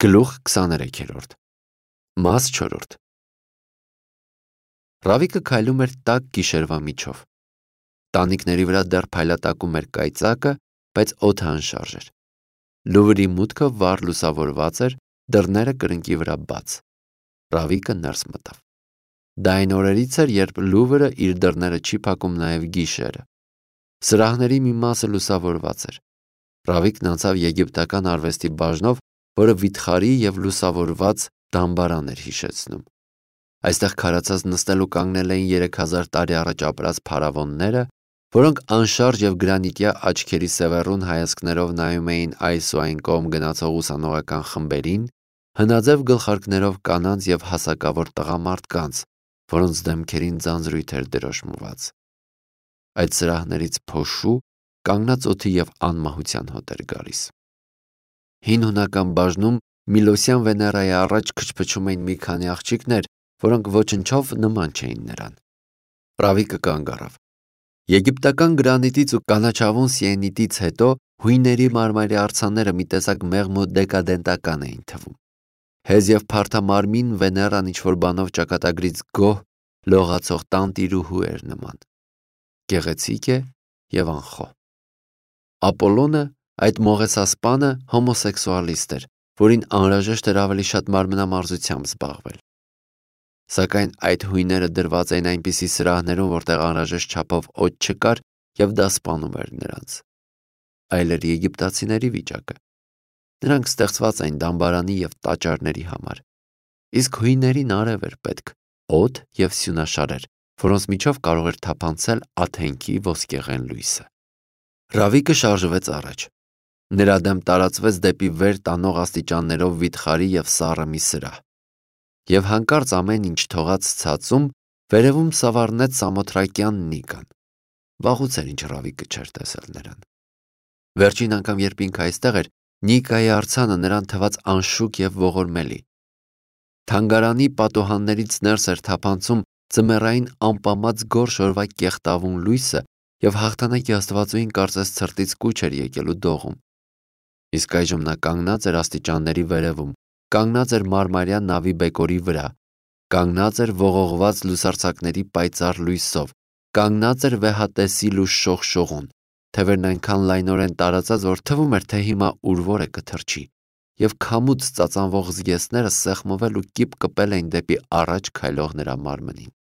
Գլուխ 23 Մաս 4 Ռավիկը քայլում էր տաք գիշերվա միջով։ Տանիքների վրա դեռ փայլատակում էր կայծակը, բայց օդը անշարժ էր։ Լուվրի մուտքը վառ լուսավորված էր, դռները կրկնակի վրա բաց։ Ռավիկը ներս մտավ։ Դա այն օրերից էր, երբ Լուվրը իր դռները չի փակում նաև գիշերը։ Սրահների մի մասը լուսավորված էր։ Ռավիկն անցավ եգիպտական արվեստի բաժնով, որը վիթխարի և լուսավորված դամբարան էր հիշեցնում։ Այստեղ քարացած նստել ու կանգնել էին 3000 տարի առաջ ապրած փարավոնները, որոնք անշարժ և գրանիտյա աչքերի սևեռուն հայացքներով նայում էին այս ու այն կողմ գնացող ուսանողական խմբերին, հնաձև գլխարկներով կանանց և հասակավոր տղամարդկանց, որոնց դեմքերին ձանձրույթ էր դրոշմված։ Այդ սրահներից փոշու, կանգնած օդի և անմահության հոտ էր գալիս։ Հին հունական բաժնում Միլոսյան Վեներայի առաջ քչփչում էին մի քանի աղջիկներ, որոնք ոչնչով նման չէին նրան։ Ռավիկը կանգ առավ։ Եգիպտական գրանիտից ու կանաչավուն սիենիտից հետո հույների մարմարի արձանները մի տեսակ մեղմ ու դեկադենտական էին թվում։ Հեզ և փարթամարմին Վեներան ինչ-որ բանով ճակատագրից գոհ, լողացող տանտիրուհու էր նման։ Գեղեցիկ է և անխոհ։ Ապոլոնը, այդ մողեսասպանը, հոմոսեքսուալիստ էր, որին անհրաժեշտ էր ավելի շատ մարմնամարզությամբ զբաղվել։ Սակայն այդ հույները դրված էին այնպիսի սրահներում, որտեղ անհրաժեշտ չափով օդ չկար, և դա սպանում էր նրանց։ Այլ էր եգիպտացիների վիճակը։ Նրանք ստեղծված էին դամբարանի և տաճարների համար։ Իսկ հույներին արև էր պետք, օդ և սյունաշարեր, որոնց միջով կարող էր թափանցել Աթենքի ոսկեղեն լույսը։ Ռավիկը շարժվեց առաջ։ Նրա դեմ տարածվեց դեպի վեր տանող աստիճաններով վիթխարի և սառը մի սրահ։ Եվ հանկարծ ամեն ինչ թողած ցածում, վերևում սավառնեց Սամոթրակյան Նիկան։ Վաղուց էր, ինչ Ռավիկը չէր տեսել նրան։ Վերջին անգամ, երբ ինքը այստեղ էր, Նիկայի արձանը նրան թվաց անշուք և ողորմելի։ Թանգարանի պատուհաններից ներս էր թափանցում ձմեռային ամպամած գորշ օրվա կեղտավուն լույսը, և հաղթանակի աստվածուհին կարծես ցրտից կուչ էր եկել ու դողում։ Իսկ այժմ նա կանգնած էր աստիճանների վերևում, կանգնած էր մարմարյա նավի բեկորի վրա, կանգնած էր ողողված լուսարձակների պայծառ լույսով, կանգնած էր վեհատեսիլ ու շողշողուն, թևերն այնքան լայնորեն տարածած, որ թվում էր, թե հիմա ուրվոր է կթռչի, և քամուց ծածանվող զգեստները սեղմվել ու կիպ կպել էին դեպի առաջ քայլող նրա մարմնին։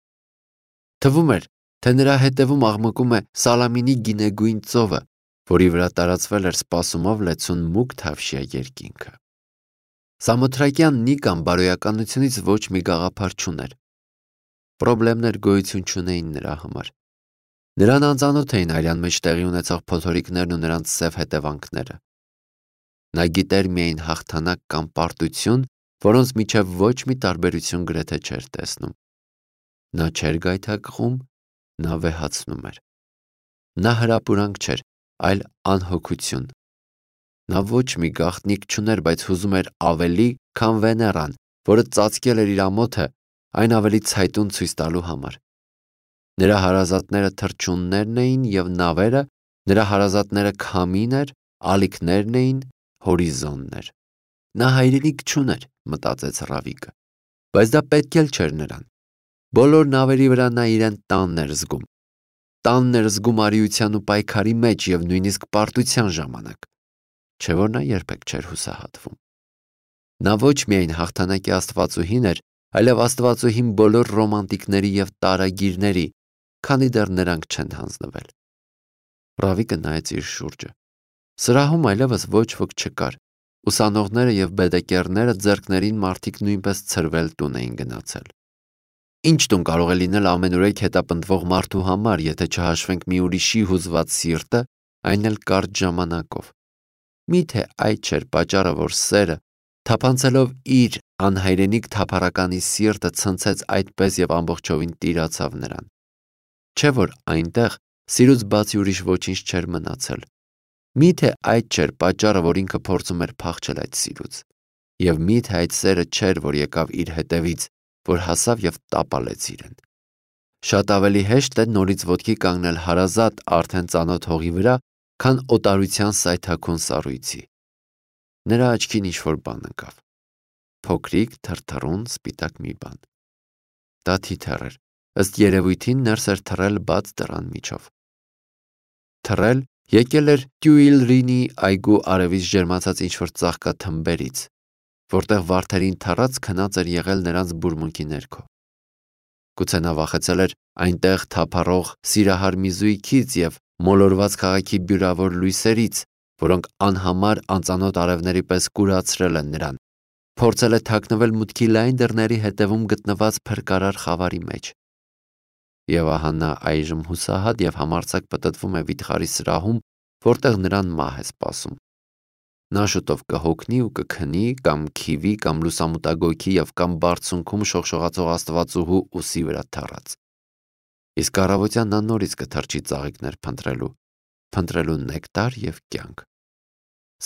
Թվում էր, թե նրա հետևում աղմկում է Սալամինի գինեգույն ծովը, որի վրա տարածվել էր սպասումով լեցուն մուգ թավշյա երկինքը։ Սամոթրակյան Նիկան բարոյականությունից ոչ մի գաղափար չուներ։ Պրոբլեմներ գոյություն չունեին նրա համար։ Նրան անծանոթ էին արյան մեջ տեղի ունեցող փոթորիկներն ու նրանց սև հետևանքները։ Նա գիտեր միայն հաղթանակ կամ պարտություն, որոնց միջև ոչ մի տարբերություն գրեթե չէր տեսնում։ Նա չէր գայթակղում, նա վեհացնում էր։ Նա հրապուրանք չէր, այլ անհոգություն։ Նա ոչ մի գաղտնիք չուներ, բայց հուզում էր ավելի, քան Վեներան, որը ծածկել էր իր ամոթը, այն ավելի ցայտուն ցույց տալու համար։ Նրա հարազատները թռչուններն էին և նավերը, նրա հարազատները քամին էր, ալիքներն էին, հորիզոններ։ Նա հայրենիք չուներ, մտածեց Ռավիկը, բայց դա պետք էլ չէր նրան։ Բոլոր նավերի վրա նա իրեն տանն էր զգում։ Տանն էր զգում արիության ու պայքարի մեջ և նույնիսկ պարտության ժամանակ, չէ՞ որ նա երբեք չէր հուսահատվում։ Նա ոչ միայն հաղթանակի աստվածուհին էր, այլև աստվածուհին բոլոր ռոմանտիկների և տարագիրների, քանի դեռ նրանք չեն հանձնվել։ Ռավիկը նայեց իր շուրջը։ Սրահում այլևս ոչ ոք չկար։ Ուսանողները և բեդեկերները ձեռքներին մարդիկ նույնպես ցրվել տուն էին գնացել։ Ինչ տուն կարող է լինել ամենուրեք հետապնդվող մարդու համար, եթե չհաշվենք մի ուրիշի հուզված սիրտը, այն էլ կարճ ժամանակով։ Միթե այդ չէր պատճառը, որ սերը, թափանցելով իր անհայրենիք թափառականի սիրտը, ցնցեց այդպես և ամբողջովին տիրացավ նրան։ Չէ՞ որ այնտեղ սիրուց բացի ուրիշ ոչինչ չէր մնացել։ Միթե այդ չէր պատճառը, որ ինքը փորձում էր փախչել այդ սիրուց։ Եվ միթե այդ սերը չէր, որ եկավ իր հետևից, որ հասավ և տապալեց իրեն։ Շատ ավելի հեշտ է նորից ոտքի կանգնել հարազատ, արդեն ծանոթ հողի վրա, քան օտարության սայթաքուն սառույցի։ Նրա աչքին ինչ-որ բան ընկավ։ փոքրիկ, թրթռուն, սպիտակ մի բան։ Դա թիթեռ էր, ըստ երևույթին ներս էր թռել բաց դռան միջով։ Թռել եկել էր Տյուիլրինի այգու արևից ջերմացած ինչ-որ ծաղկաթմբերից, որտեղ վարդերին թռած քնած էր եղել նրանց բուրմունքի ներքո։ Գուցե նա վախեցել էր այնտեղ թափառող սիրահար մի զույգից և մոլորված քաղաքի բյուրավոր լույսերից, որոնք անհամար անծանոթ արևների պես կուրացրել են նրան, փորձել է թաքնվել մուտքի լայն դռների հետևում գտնված փրկարար խավարի մեջ։ Եվ ահա նա այժմ հուսահատ և համարձակ պտտվում է վիթխարի սրահում, որտեղ նրան մահ է սպասում։ Նա շուտով կհոգնի ու կքնի, կամ քիվի, կամ լուսամուտագոգի և կամ բարձունքում շողշողացող աստվածուհու ուսի վրա թռած։ Իսկ առավոտյան նա նորից կթռչի ծաղիկներ փնտրելու նեկտար և կյանք։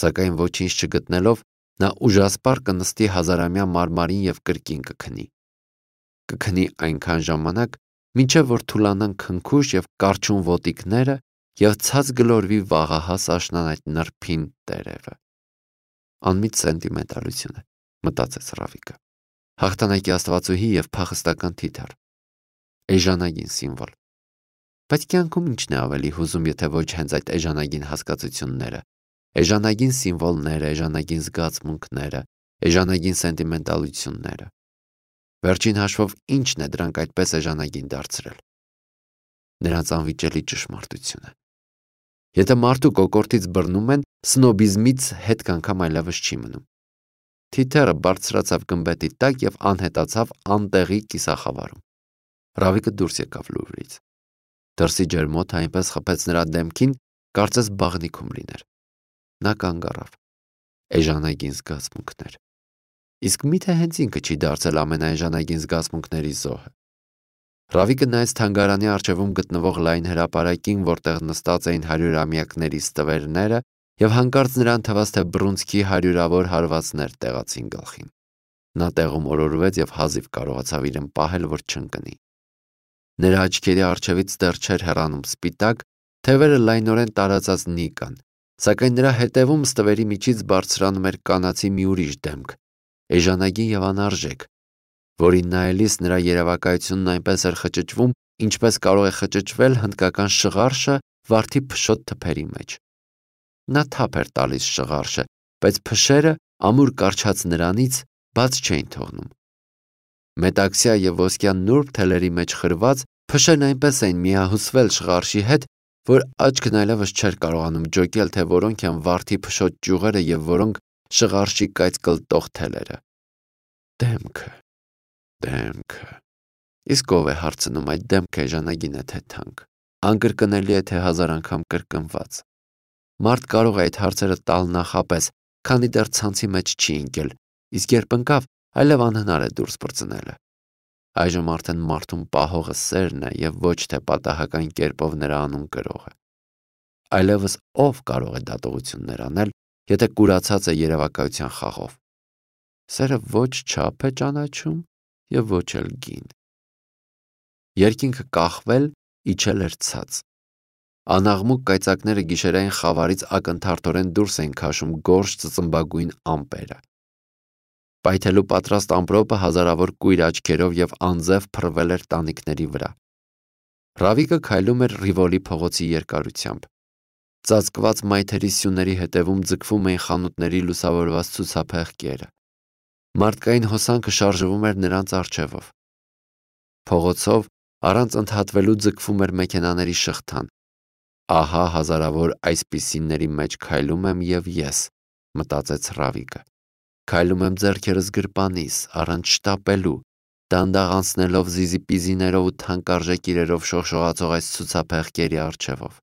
Սակայն ոչինչ չգտնելով, նա ուժասպառ կնստի հազարամյա մարմարին և կրկին կքնի։ Կքնի այնքան ժամանակ, մինչև որ թուլանան քնքուշ և կառչուն ոտիկները և ցած գլորվի վաղահաս աշնան այդ նրբին տերևը։ Անմիջ սենտիմենտալություն է, մտածեց Ռավիկը։ Հաղթանակի աստվածուհի և փախստական թիթեռ։ Էժանագին սիմվոլ։ Բայց կյանքում ինչն է ավելի հուզում, եթե ոչ հենց այդ էժանագին հասկացությունները, էժանագին սիմվոլները, էժանագին զգացմունքները, էժանագին սենտիմենտալությունները։ Վերջին հաշվով ինչն է դրանք այդպես էժանագին դարձրել։ Նրանց անվիճելի ճշմարտությունը։ Եթե մարդու կոկորդից բռնում են, սնոբիզմից հետք անգամ այլևս չի մնում։ Թիթեռը բարձրացավ գմբեթի տակ և անհետացավ անտեղի կիսախավարում։ Ռավիկը դուրս եկավ Լուվրից։ Դրսի ջերմոցը այնպես խփեց նրա դեմքին, կարծես բաղնիքում լիներ։ Նա կանգ առավ։ Էժանագին զգացմունքներ։ Իսկ միթե հենց ինքը չի դարձել ամենաէժանագին զգացմունքների զոհը։ Ռավիկը նայեց թանգարանի առջևում գտնվող լայն հրապարակին, որտեղ նստած էին 100-ամյակների ստվերները, և հանկարծ նրան թվաց, թե բռունցքի 100-ավոր հարվածներ տեղացին գլխին։ Նա տեղում օրորվեց և հազիվ կարողացավ իրեն պահել, որ չընկնի։ Նրա աչքերի առջևից դեռ չէր հեռանում սպիտակ, թևերը լայնորեն տարածած Նիկան, սակայն նրա հետևում ստվերի միջից բարձրանում էր կանացի մի ուրիշ դեմք, էժանագին և անարժեք, որին նայելիս նրա երևակայությունն այնպես էր խճճվում, ինչպես կարող է խճճվել հնդկական շղարշը վարդի փշոտ թփերի մեջ։ Նա թափ էր տալիս շղարշը, բայց փշերը, ամուր կառչած նրանից, բաց չէին թողնում։ Մետաքսյա և ոսկյա նուրբ թելերի մեջ խրված, փշերն այնպես էին միահյուսվել շղարշի հետ, որ աչքն այլևս չէր կարողանում ջոկել, թե որոնք են վարդի փշոտ ճյուղերը և որոնք շղարշի կայծկլտող թելերը։ Դեմքը։ Իսկ ով է հարցնում այդ դեմքը էժանագին է թե թանկ, անկրկնելի է թե 1000 անգամ կրկնված։ Մարդ կարող է այդ հարցերը տալ նախապես, քանի դեռ ցանցի մեջ չի ընկել, իսկ երբ ընկավ, այլև անհնար է դուրս պրծնելը։ Այժմ արդեն մարդուն պահողը սերն է և ոչ թե պատահական կերպով նրա անուն կրողը։ Այլևս ով կարող է դատողություններ անել, եթե կուրացած է երևակայության խաղով։ Սերը ոչ չափ է ճանաչում և ոչ էլ գին։ Երկինքը կախվել, իջել էր ցած։ Անաղմուկ կայծակները գիշերային խավարից ակնթարթորեն դուրս էին քաշում գորշ ծծմբագույն ամպերը։ Պայթելու պատրաստ ամպրոպը հազարավոր կույր աչքերով և անձև փռվել էր տանիքների վրա։ Ռավիկը քայլում էր Ռիվոլի փողոցի երկարությամբ։ Ծածկված մայթերի սյուների հետևում ձգվում էին խանութների լուսավորված ցուցափեղկերը։ Մարդկային հոսանքը շարժվում էր նրանց առջևով։ Փողոցով առանց ընդհատվելու ձգվում էր մեքենաների շղթան։ Ահա հազարավոր այսպիսիների մեջ քայլում եմ և ես, մտածեց Ռավիկը։ Քայլում եմ ձեռքերս գրպանիս, առանց շտապելու, դանդաղ անցնելով զիզիպիզիներով ու թանկարժեք իրերով շողշողացող այս ցուցափեղկերի առջևով։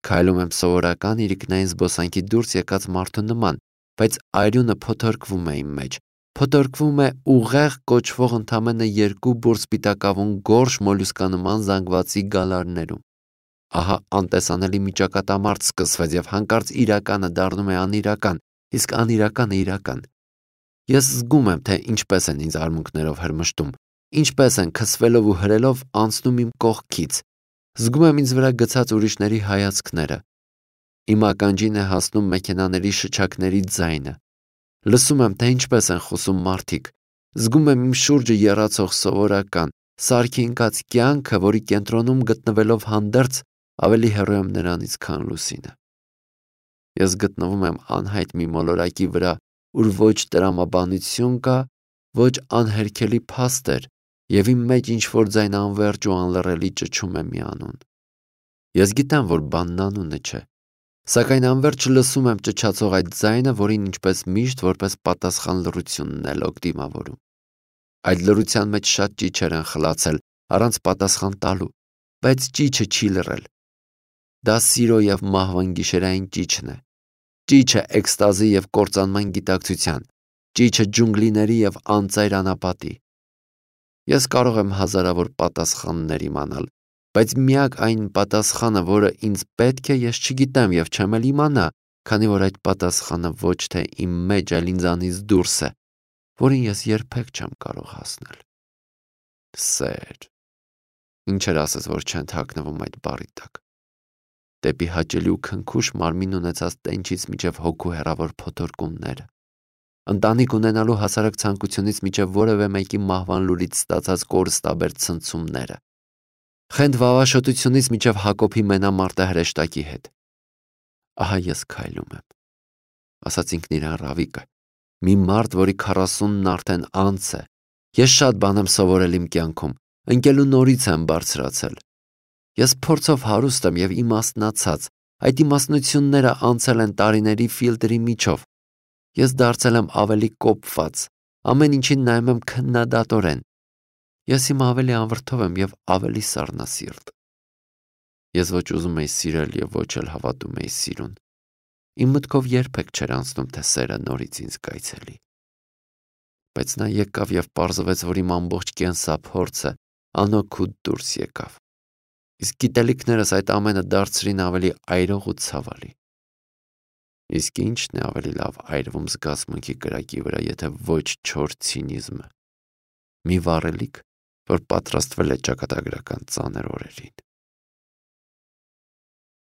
Քայլում եմ սովորական իրիկնային զբոսանքի դուրս եկած մարդու նման, բայց արյունը փոթորկվում է իմ մեջ, փոթորկվում է ուղեղ կոչվող ընդամենը 2 բուռ սպիտակավուն գորշ մոլյուսկանման զանգվածի գալարներում։ Ահա անտեսանելի մի ճակատամարտ սկսվեց և հանկարծ իրականը դառնում է անիրական, իսկ անիրականը իրական։ Ես զգում եմ, թե ինչպես են ինձ արմունկներով հրմշտում, ինչպես են քսվելով ու հրելով անցնում իմ կողքից։ Զգում եմ ինձ վրա գցած ուրիշների հայացքները։ Իմ ականջին է հասնում մեքենաների շչակների ձայնը։ Լսում եմ, թե ինչպես են խոսում մարդիկ, զգում եմ իմ շուրջը եռացող սովորական, սարքի ընկած կյանքը, որի կենտրոնում գտնվելով հանդերձ ավելի հեռու եմ նրանից, քան լուսինը։ Ես գտնվում եմ անհայտ մի մոլորակի վրա, ուր ոչ տրամաբանություն կա, ոչ անհերքելի փաստեր, եւ իմ մեջ ինչ-որ ձայն անվերջ ու անլռելի ճչում է մի անուն։ Ես գիտեմ, որ բանն անունը չէ, սակայն անվերջ լսում եմ ճչացող այդ ձայնը, որին ինչպես միշտ որպես պատասխան լռությունն էլ օգ դիմավորում։ Այդ լռության մեջ շատ ճիչեր են խլացել առանց պատասխան տալու, բայց ճիչը չի լռել։ Դա սիրո եւ մահվան գիշերային ճիչն է։ Ճիչը էքստազի եւ կործանման գիտակցության, ճիչը ջունգլիների եւ անծայր անապատի։ Ես կարող եմ հազարավոր պատասխաններ իմանալ, բայց միակ այն պատասխանը, որը ինձ պետք է, ես չգիտեմ եւ չեմ էլ իմանա, քանի որ այդ պատասխանը ոչ թե իմ մեջ, այլ ինձանից դուրս է, որին ես երբեք չեմ կարող հասնել։ Սեր։ Ինչեր ասես, որ չեն թաքնվում այդ բառի տակ։ Դեպի հաճելի ու քնքուշ մարմին ունեցած տենչից մինչև հոգու հեռավոր փոթորկումները, ընտանիք ունենալու հասարակ ցանկությունից մինչև որևէ մեկի մահվան լուրից ստացած կորստաբեր ցնցումները, խենթ վավաշոտությունից մինչև Հակոբի մենամարտը հրեշտակի հետ։ Ահա ես քայլում եմ, ասաց ինքն իրան Ռավիկը, մի մարդ, որի 40-ն արդեն անց է։ Ես շատ բան եմ սովորել իմ կյանքում, ընկելու նորից եմ բարձրացել։ Ես փորձով հարուստ եմ եւ իմաստնացած, այդ իմաստնությունները անցել են տարիների ֆիլտրի միջով։ Ես դարձել եմ ավելի կոպված, ամեն ինչին նայում եմ քննադատորեն։ Ես հիմա ավելի անվրդով եմ եւ ավելի սառնասիրտ։ Ես ոչ ուզում եի սիրել եւ ոչ էլ հավատում եի սիրուն։ Իմ մտքով երբեք չէր անցնում, թե սերը նորից ինձ կայցելի։ Բայց նա եկավ եւ պարզվեց, որ իմ ամբողջ կենսափորձը անօգուտ դուրս եկավ։ Իսկ գիտելիքներս այդ ամենը դարձրին ավելի այրող ու ցավալի։ Իսկ ի՞նչն է ավելի լավ այրվում զգացմունքի կրակի վրա, եթե ոչ չոր ցինիզմը։ Մի վառելիք, որ պատրաստվել է ճակատագրական ծանր օրերին։